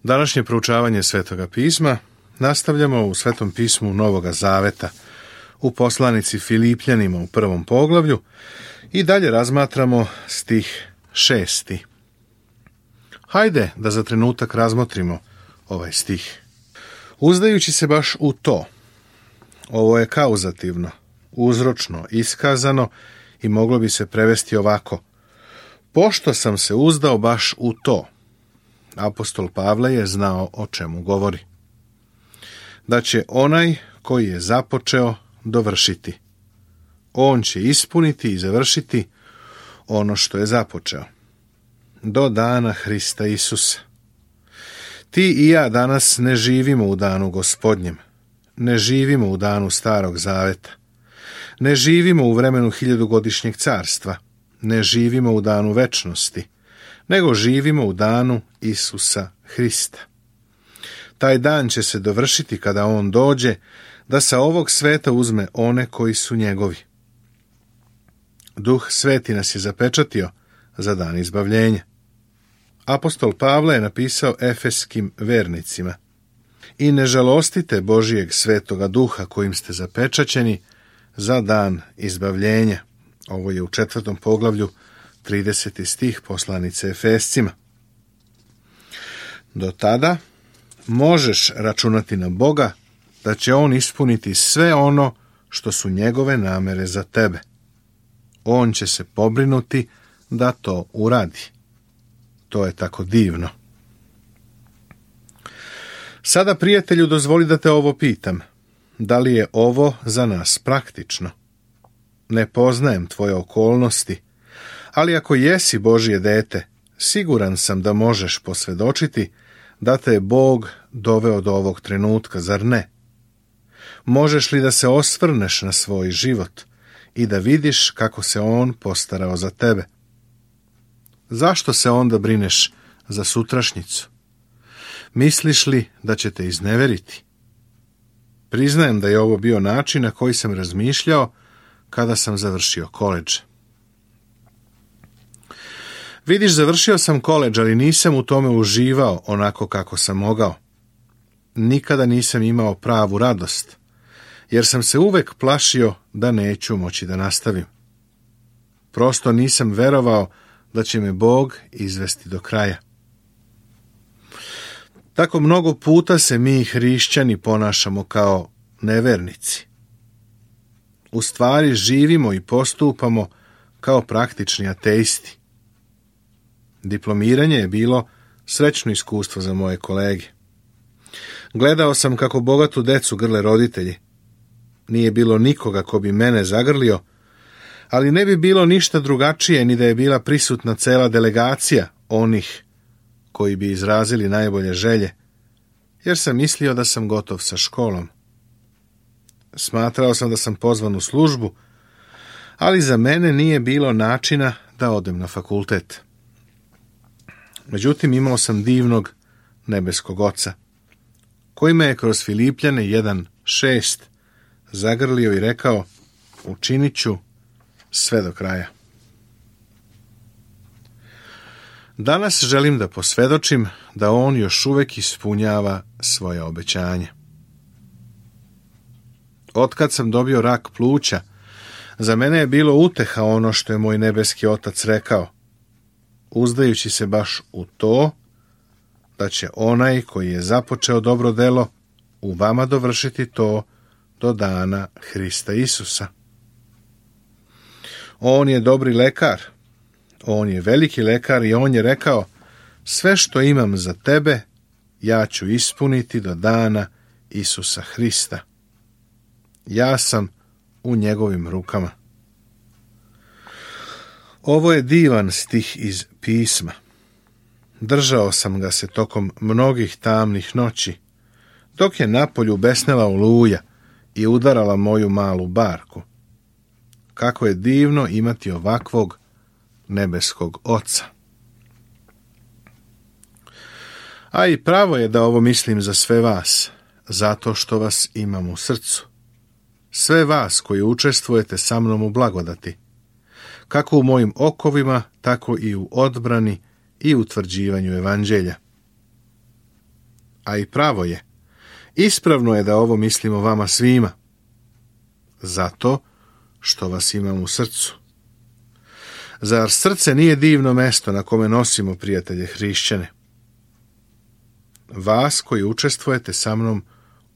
Današnje proučavanje Svetoga pisma nastavljamo u Svetom pismu Novoga Zaveta, u poslanici Filipljanima u 1. poglavlju i dalje razmatramo stih 6. Hajde da za trenutak razmotrimo ovaj stih. Uzdajući se baš u to, ovo je kauzativno, uzročno iskazano i moglo bi se prevesti ovako: pošto sam se uzdao baš u to. Apostol Pavle je znao o čemu govori. Da će onaj koji je započeo dovršiti. On će ispuniti i završiti ono što je započeo. Do dana Hrista Isusa. Ti i ja danas ne živimo u danu Gospodnjem. Ne živimo u danu Starog Zaveta. Ne živimo u vremenu 1000-godišnjeg carstva. Ne živimo u danu večnosti, nego živimo u danu Isusa Hrista. Taj dan će se dovršiti kada on dođe da sa ovog sveta uzme one koji su njegovi. Duh Sveti nas je zapečatio za dan izbavljenja. Apostol Pavle je napisao efeskim vernicima: i ne žalostite Božijeg svetoga duha kojim ste zapečaćeni za dan izbavljenja. Ovo je u 4. poglavlju 30. stih poslanice Efescima. Do tada možeš računati na Boga da će on ispuniti sve ono što su njegove namere za tebe. On će se pobrinuti da to uradi. To je tako divno. Sada, prijatelju, dozvoli da te ovo pitam. Da li je ovo za nas praktično? Ne poznajem tvoje okolnosti, ali ako jesi Božje dete, siguran sam da možeš posvjedočiti da te je Bog doveo do ovog trenutka, zar ne? Možeš li da se osvrneš na svoj život i da vidiš kako se on postarao za tebe? Zašto se onda brineš za sutrašnjicu? Misliš li da će te izneveriti? Priznajem da je ovo bio način na koji sam razmišljao kada sam završio koledž. Vidiš, završio sam koledž, ali nisam u tome uživao onako kako sam mogao. Nikada nisam imao pravu radost, jer sam se uvek plašio da neću moći da nastavim. Prosto nisam verovao da će me Bog izvesti do kraja. Tako mnogo puta se mi hrišćani ponašamo kao nevernici. U stvari živimo i postupamo kao praktični ateisti. Diplomiranje je bilo srećno iskustvo za moje kolege. Gledao sam kako bogatu decu grle roditelji. Nije bilo nikoga ko bi mene zagrlio, ali ne bi bilo ništa drugačije ni da je bila prisutna cela delegacija onih koji bi izrazili najbolje želje, jer sam mislio da sam gotov sa školom. Smatrao sam da sam pozvan u službu, ali za mene nije bilo načina da odem na fakultet. Međutim, imao sam divnog nebeskog Oca, koji me je kroz Filipljane 1:6 zagrlio i rekao: učinit ću sve do kraja. Danas želim da posvjedočim da on još uvek ispunjava svoje obećanje. Otkad sam dobio rak pluća, za mene je bilo uteha ono što je moj nebeski Otac rekao, uzdajući se baš u to da će onaj koji je započeo dobro delo u vama dovršiti to do dana Hrista Isusa. On je dobri lekar, on je veliki lekar i on je rekao: sve što imam za tebe ja ću ispuniti do dana Isusa Hrista. Ja sam u njegovim rukama. Ovo je divan stih iz pisma. Držao sam ga se tokom mnogih tamnih noći, dok je napolju besnela oluja i udarala moju malu barku. Kako je divno imati ovakvog nebeskog Oca. A i pravo je da ovo mislim za sve vas, zato što vas imam u srcu. Sve vas koji učestvujete sa mnom u blagodati, kako u mojim okovima, tako i u odbrani i utvrđivanju evanđelja. a i pravo je. Ispravno je da ovo mislimo vama svima. Zato što vas imam u srcu. Zar srce nije divno mesto na kome nosimo prijatelje hrišćane? Vas koji učestvujete sa mnom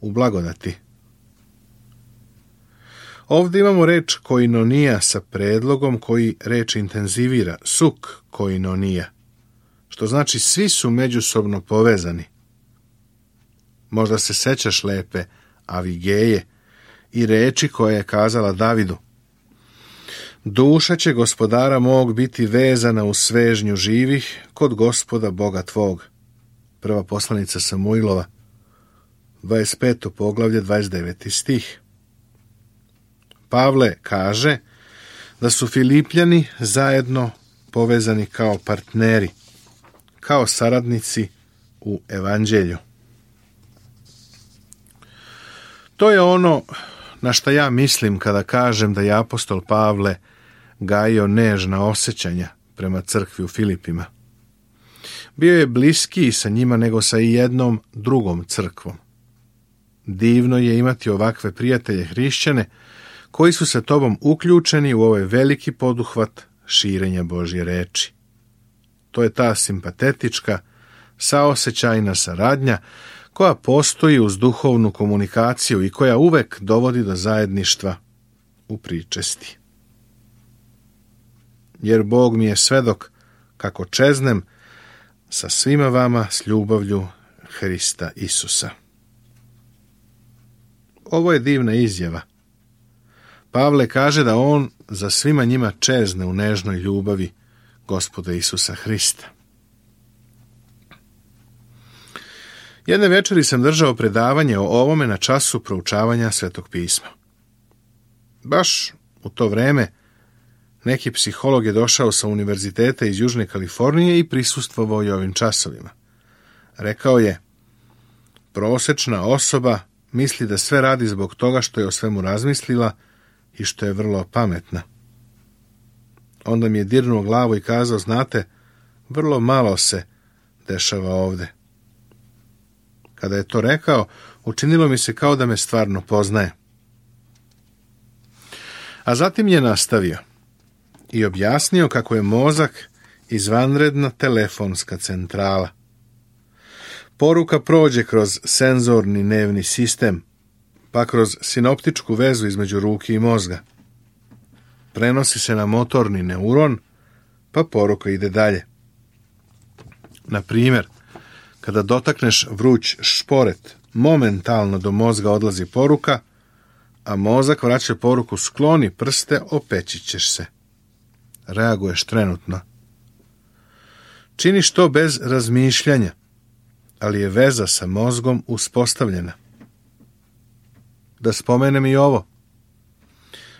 u blagodati. Ovdje imamo reč koinonija sa predlogom koji reč intenzivira, suk koinonija, što znači svi su međusobno povezani. Možda se sećaš lepe Avigeje i reči koje je kazala Davidu. Duša će gospodara mog biti vezana u svežnju živih kod Gospoda Boga tvog. Prva poslanica Samuilova, 25. poglavlje, 29. stih. Pavle kaže da su Filipljani zajedno povezani kao partneri, kao saradnici u evanđelju. To je ono na šta ja mislim kada kažem da je apostol Pavle gajio nežna osjećanja prema crkvi u Filipima. Bio je bliskiji sa njima nego sa i jednom drugom crkvom. Divno je imati ovakve prijatelje hrišćane koji su sa tobom uključeni u ovaj veliki poduhvat širenja Božje reči. To je ta simpatetička, saosećajna saradnja koja postoji uz duhovnu komunikaciju i koja uvek dovodi do zajedništva u pričesti. Jer Bog mi je svedok kako čeznem sa svima vama s ljubavlju Hrista Isusa. Ovo je divna izjava. Pavle kaže da on za svima njima čezne u nežnoj ljubavi Gospoda Isusa Hrista. Jedne večeri sam držao predavanje o ovome na času proučavanja Svetog pisma. Baš u to vreme neki psiholog je došao sa univerziteta iz Južne Kalifornije i prisustvovao je ovim časovima. Rekao je, prosečna osoba misli da sve radi zbog toga što je o svemu razmislila i što je vrlo pametna. Onda mi je dirnuo glavu i kazao, znate, vrlo malo se dešava ovde. Kada je to rekao, učinilo mi se kao da me stvarno poznaje. A zatim je nastavio i objasnio kako je mozak izvanredna telefonska centrala. Poruka prođe kroz senzorni nervni sistem, pa kroz sinoptičku vezu između ruke i mozga. Prenosi se na motorni neuron, pa poruka ide dalje. Na primjer, kada dotakneš vruć šporet, momentalno do mozga odlazi poruka, a mozak vraća poruku skloni prste, opeći ćeš se. Reaguješ trenutno. Činiš to bez razmišljanja, ali je veza sa mozgom uspostavljena. Da spomenem i ovo.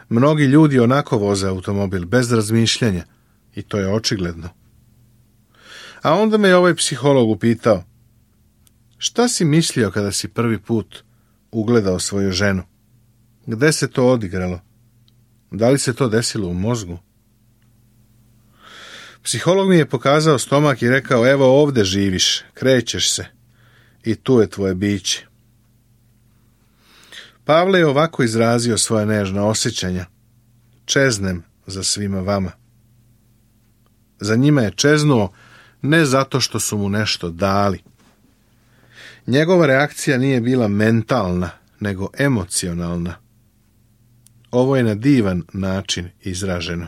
Mnogi ljudi onako voze automobil bez razmišljanja i to je očigledno. A onda me je ovaj psiholog upitao, šta si mislio kada si prvi put ugledao svoju ženu? Gde se to odigralo? Da li se to desilo u mozgu? Psiholog mi je pokazao stomak i rekao, evo ovde živiš, krećeš se i tu je tvoje biće. Pavle je ovako izrazio svoja nežna osjećanja. Čeznem za svima vama. Za njima je čeznuo ne zato što su mu nešto dali. Njegova reakcija nije bila mentalna, nego emocionalna. Ovo je na divan način izraženo.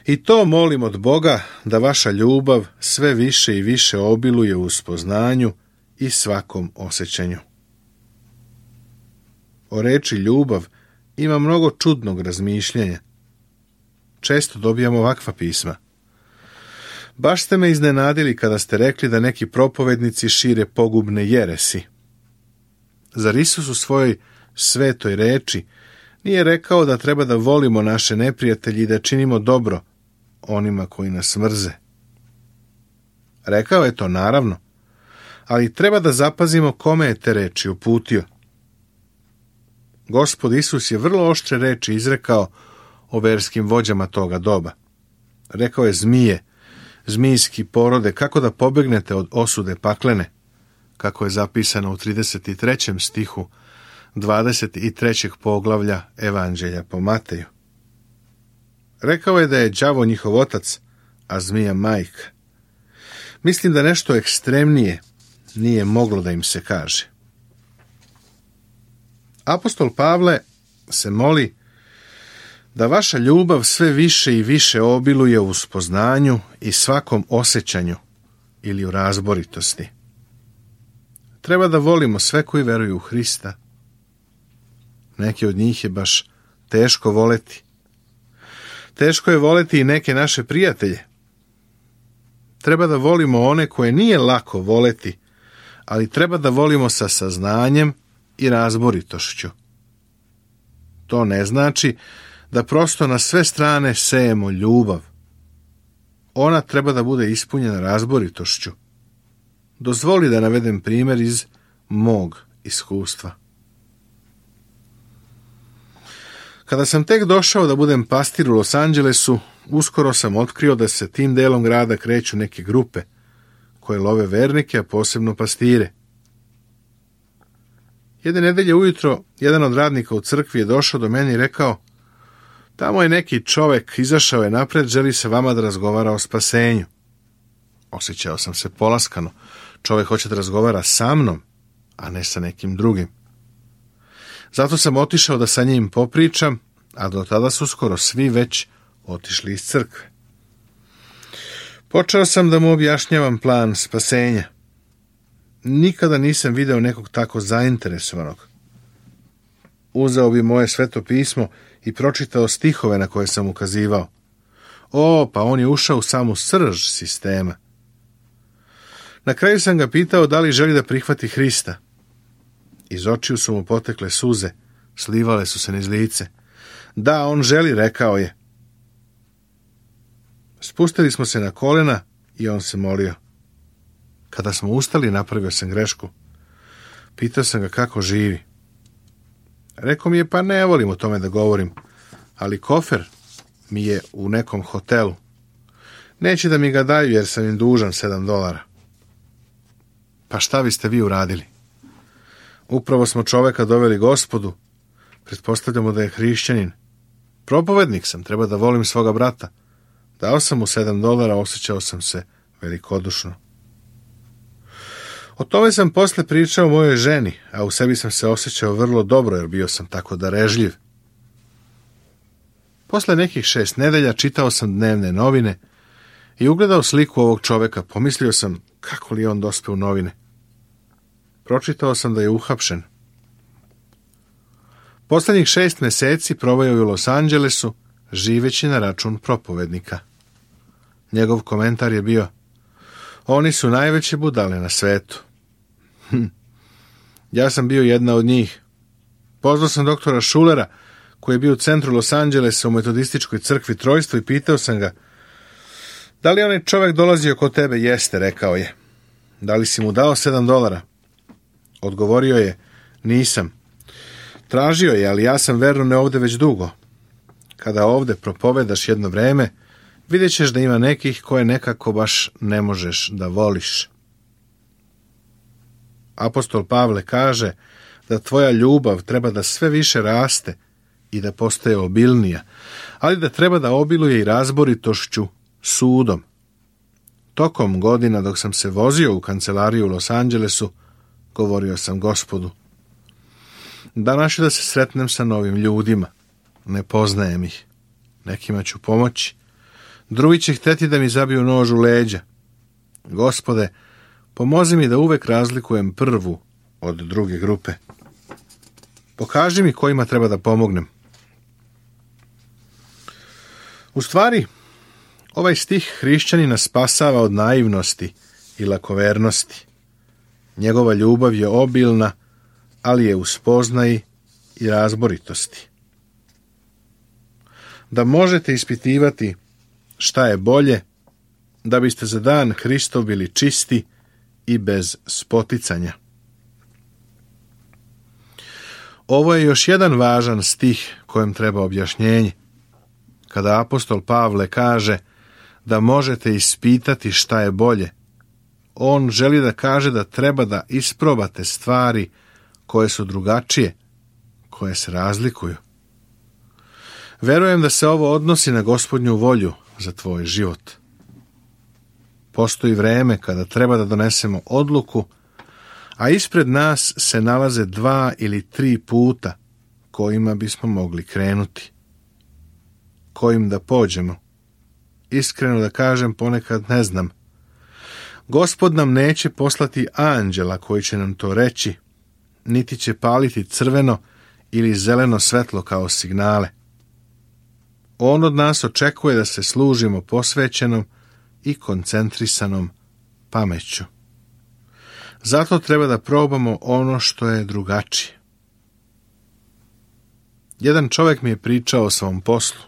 I to molim od Boga da vaša ljubav sve više i više obiluje u spoznanju i svakom osjećanju. O reči ljubav ima mnogo čudnog razmišljanja. Često dobijamo ovakva pisma. Baš ste me iznenadili kada ste rekli da neki propovednici šire pogubne jeresi. Zar Isus u svojoj svetoj reči nije rekao da treba da volimo naše neprijatelje i da činimo dobro onima koji nas mrze? Rekao je to naravno, ali treba da zapazimo kome je te reči uputio. Gospod Isus je vrlo oštre reči izrekao o verskim vođama toga doba. Rekao je, zmije, zmijski porode, kako da pobegnete od osude paklene, kako je zapisano u 33. stihu 23. poglavlja Evanđelja po Mateju. Rekao je da je đavo njihov otac, a zmija majka. Mislim da nešto ekstremnije nije moglo da im se kaže. Apostol Pavle se moli da vaša ljubav sve više i više obiluje u spoznanju i svakom osjećanju ili u razboritosti. Treba da volimo sve koji veruju u Hrista. Neki od njih je baš teško voleti. Teško je voleti i neke naše prijatelje. Treba da volimo one koje nije lako voleti, ali treba da volimo sa saznanjem i razboritošću. To ne znači da prosto na sve strane sejemo ljubav. Ona treba da bude ispunjena razboritošću. Dozvoli da navedem primjer iz mog iskustva. Kada sam tek došao da budem pastir u Los Angelesu, uskoro sam otkrio da se tim delom grada kreću neke grupe koje love vernike, a posebno pastire. Jedne nedelje ujutro, jedan od radnika u crkvi je došao do mene i rekao: tamo je neki čovek, izašao je napred, želi sa vama da razgovara o spasenju. Osjećao sam se polaskano. Čovek hoće da razgovara sa mnom, a ne sa nekim drugim. Zato sam otišao da sa njim popričam, a do tada su skoro svi već otišli iz crkve. Počeo sam da mu objašnjavam plan spasenja. Nikada nisam video nekog tako zainteresovanog. Uzeo bi moje sveto pismo i pročitao stihove na koje sam ukazivao. Pa on je ušao u samu srž sistema. Na kraju sam ga pitao da li želi da prihvati Hrista. Iz očiju su mu potekle suze, slivale su se niz lice. Da, on želi, rekao je. Spustili smo se na kolena i on se molio. Kada smo ustali, napravio sam grešku. Pitao sam ga kako živi. Rekao mi je, pa ne volim o tome da govorim, ali kofer mi je u nekom hotelu. Neće da mi ga daju jer sam im dužan $7. Pa šta biste vi uradili? Upravo smo čoveka doveli Gospodu. Pretpostavljamo da je hrišćanin. Propovednik sam, treba da volim svoga brata. Dao sam mu $7, osjećao sam se velikodušno. O tome sam posle pričao mojoj ženi, a u sebi sam se osjećao vrlo dobro jer bio sam tako darežljiv. Posle nekih 6 nedelja čitao sam dnevne novine i ugledao sliku ovog čoveka. Pomislio sam kako li on dospe u novine. Pročitao sam da je uhapšen. Poslednjih 6 meseci proveo je u Los Angelesu, živeći na račun propovednika. Njegov komentar je bio: oni su najveće budale na svetu. Ja sam bio jedna od njih. Pozvao sam doktora Schulera, koji je bio u centru Los Angelesa u metodističkoj crkvi Trojstvo, i pitao sam ga: da li onaj čovjek dolazio kod tebe? Jeste, rekao je. Da li si mu dao $7? Odgovorio je: nisam. Tražio je, ali ja sam verno ne ovde već dugo. Kada ovde propovedaš jedno vreme, vidjet ćeš da ima nekih koje nekako baš ne možeš da voliš. Apostol Pavle kaže da tvoja ljubav treba da sve više raste i da postaje obilnija, ali da treba da obiluje i razboritošću, sudom. Tokom godina dok sam se vozio u kancelariju u Los Angelesu, govorio sam Gospodu: danas ću da se sretnem sa novim ljudima. Ne poznajem ih. Nekima ću pomoći. Drugi će hteti da mi zabiju nož u leđa. Gospode, pomozi mi da uvek razlikujem prvu od druge grupe. Pokaži mi kojima treba da pomognem. U stvari, ovaj stih hrišćanina spasava od naivnosti i lakovernosti. Njegova ljubav je obilna, ali je u spoznaji i razboritosti. Da možete ispitivati šta je bolje, da biste za dan Hristov bili čisti i bez spoticanja. Ovo je još jedan važan stih kojem treba objašnjenje. Kada apostol Pavle kaže da možete ispitati šta je bolje. On želi da kaže da treba da isprobate stvari koje su drugačije, koje se razlikuju. Verujem da se ovo odnosi na Gospodnju volju za tvoj život. Postoji vreme kada treba da donesemo odluku, a ispred nas se nalaze 2 ili 3 puta kojima bismo mogli krenuti. Kojim da pođemo? Iskreno da kažem, ponekad ne znam. Gospod nam neće poslati anđela koji će nam to reći, niti će paliti crveno ili zeleno svetlo kao signale. On od nas očekuje da se služimo posvećenom i koncentrisanom pameću. Zato treba da probamo ono što je drugačije. Jedan čovjek mi je pričao o svom poslu.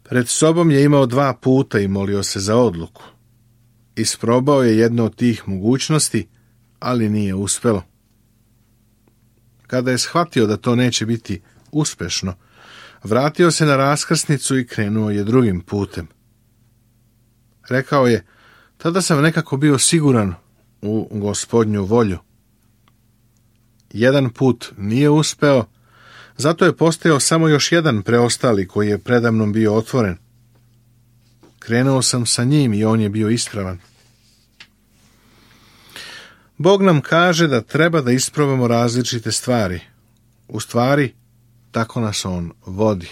Pred sobom je imao 2 puta i molio se za odluku. Isprobao je jednu od tih mogućnosti, ali nije uspelo. Kada je shvatio da to neće biti uspešno, vratio se na raskrsnicu i krenuo je drugim putem. Rekao je, tada sam nekako bio siguran u Gospodnju volju. Jedan put nije uspeo, zato je postojao samo još jedan preostali koji je predamnom bio otvoren. Krenuo sam sa njim i on je bio ispravan. Bog nam kaže da treba da isprobamo različite stvari. U stvari, tako nas on vodi.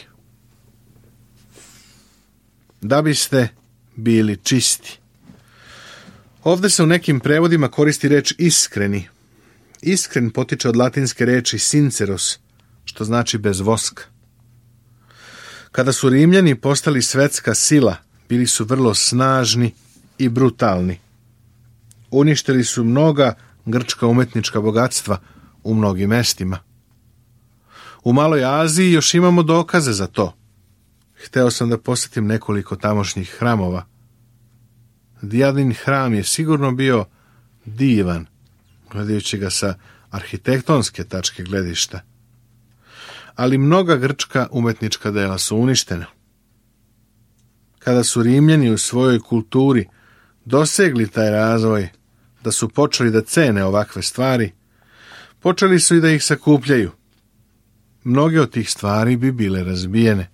Da biste bili čisti. Ovdje se u nekim prevodima koristi reč iskreni. Iskren potiče od latinske reči sinceros, što znači bez voska. Kada su Rimljani postali svetska sila, bili su vrlo snažni i brutalni. Uništili su mnoga grčka umetnička bogatstva u mnogim mestima. U Maloj Aziji još imamo dokaze za to. Hteo sam da posjetim nekoliko tamošnjih hramova. Dijadin hram je sigurno bio divan, gledajući ga sa arhitektonske tačke gledišta. Ali mnoga grčka umetnička dela su uništena. Kada su Rimljani u svojoj kulturi dosegli taj razvoj, da su počeli da cene ovakve stvari, počeli su i da ih sakupljaju. Mnoge od tih stvari bi bile razbijene.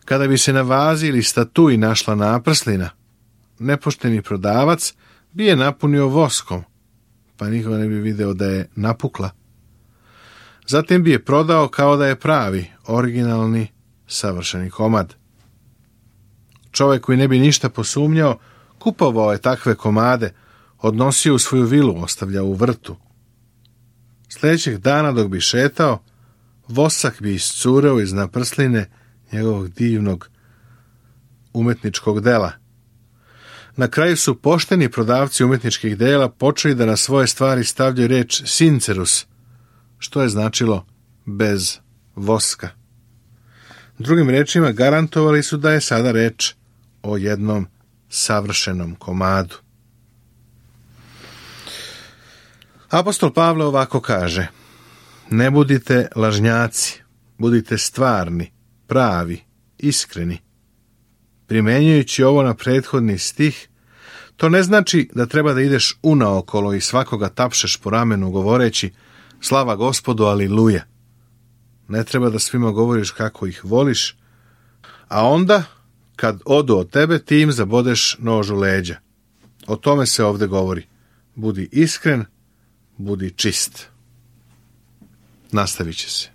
Kada bi se na vazi ili statuji našla naprslina, nepošteni prodavac bi je napunio voskom, pa niko ne bi video da je napukla. Zatim bi je prodao kao da je pravi, originalni, savršeni komad. Čovjek koji ne bi ništa posumnjao, kupovao je takve komade, odnosio u svoju vilu, ostavljao u vrtu. Sljedećeg dana dok bi šetao, vosak bi iscureo iz naprsline njegovog divnog umetničkog dela. Na kraju su pošteni prodavci umetničkih dela počeli da na svoje stvari stavljaju reč sincerus, što je značilo bez voska. Drugim rečima, garantovali su da je sada reč o jednom savršenom komadu. Apostol Pavle ovako kaže: ne budite lažnjaci, budite stvarni, pravi, iskreni. Primenjujući ovo na prethodni stih, to ne znači da treba da ideš unaokolo i svakoga tapšeš po ramenu govoreći slava Gospodu, aliluja. Ne treba da svima govoriš kako ih voliš, a onda, kad odu od tebe, ti im zabodeš nož u leđa. O tome se ovdje govori. Budi iskren, budi čist. Nastavit će se.